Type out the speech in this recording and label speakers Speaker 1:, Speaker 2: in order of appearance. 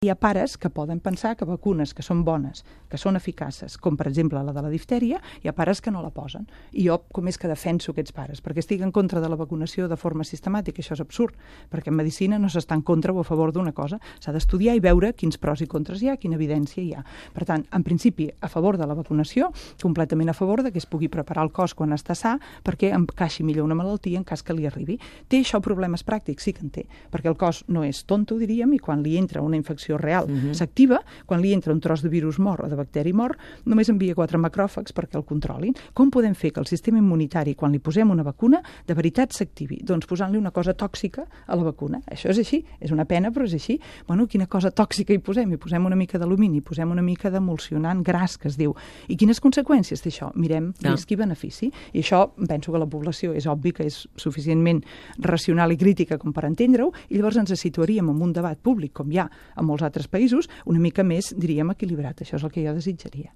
Speaker 1: Hi ha pares que poden pensar que vacunes que són bones, que són eficaces, com per exemple la de la diftèria, hi ha pares que no la posen. I jo com és que defenso aquests pares? Perquè estic en contra de la vacunació de forma sistemàtica, això és absurd, perquè en medicina no s'està en contra o a favor d'una cosa, s'ha d'estudiar i veure quins pros i contres hi ha, quina evidència hi ha. Per tant, en principi, a favor de la vacunació, completament a favor de que es pugui preparar el cos quan està sa perquè encaixi millor una malaltia en cas que li arribi. Té això problemes pràctics? Sí que en té, perquè el cos no és tonto, diríem, i quan li entra una infecció real s'activa, quan li entra un tros de virus mort o de bacteri mort, només envia 4 macròfags perquè el controlin. Com podem fer que el sistema immunitari, quan li posem una vacuna, de veritat s'activi? Doncs posant-li una cosa tòxica a la vacuna. Això és així, és una pena, però és així. Bueno, quina cosa tòxica hi posem? Hi posem una mica d'alumini, hi posem una mica d'emulsionant gras, que es diu. I quines conseqüències té això? Mirem risc i benefici. I això, penso que la població és obvi que és suficientment racional i crítica com per entendre-ho, i llavors ens situaríem en un debat públic, com hi ha a molts altres països, una mica més, diríem, equilibrat. Això és el que jo desitjaria.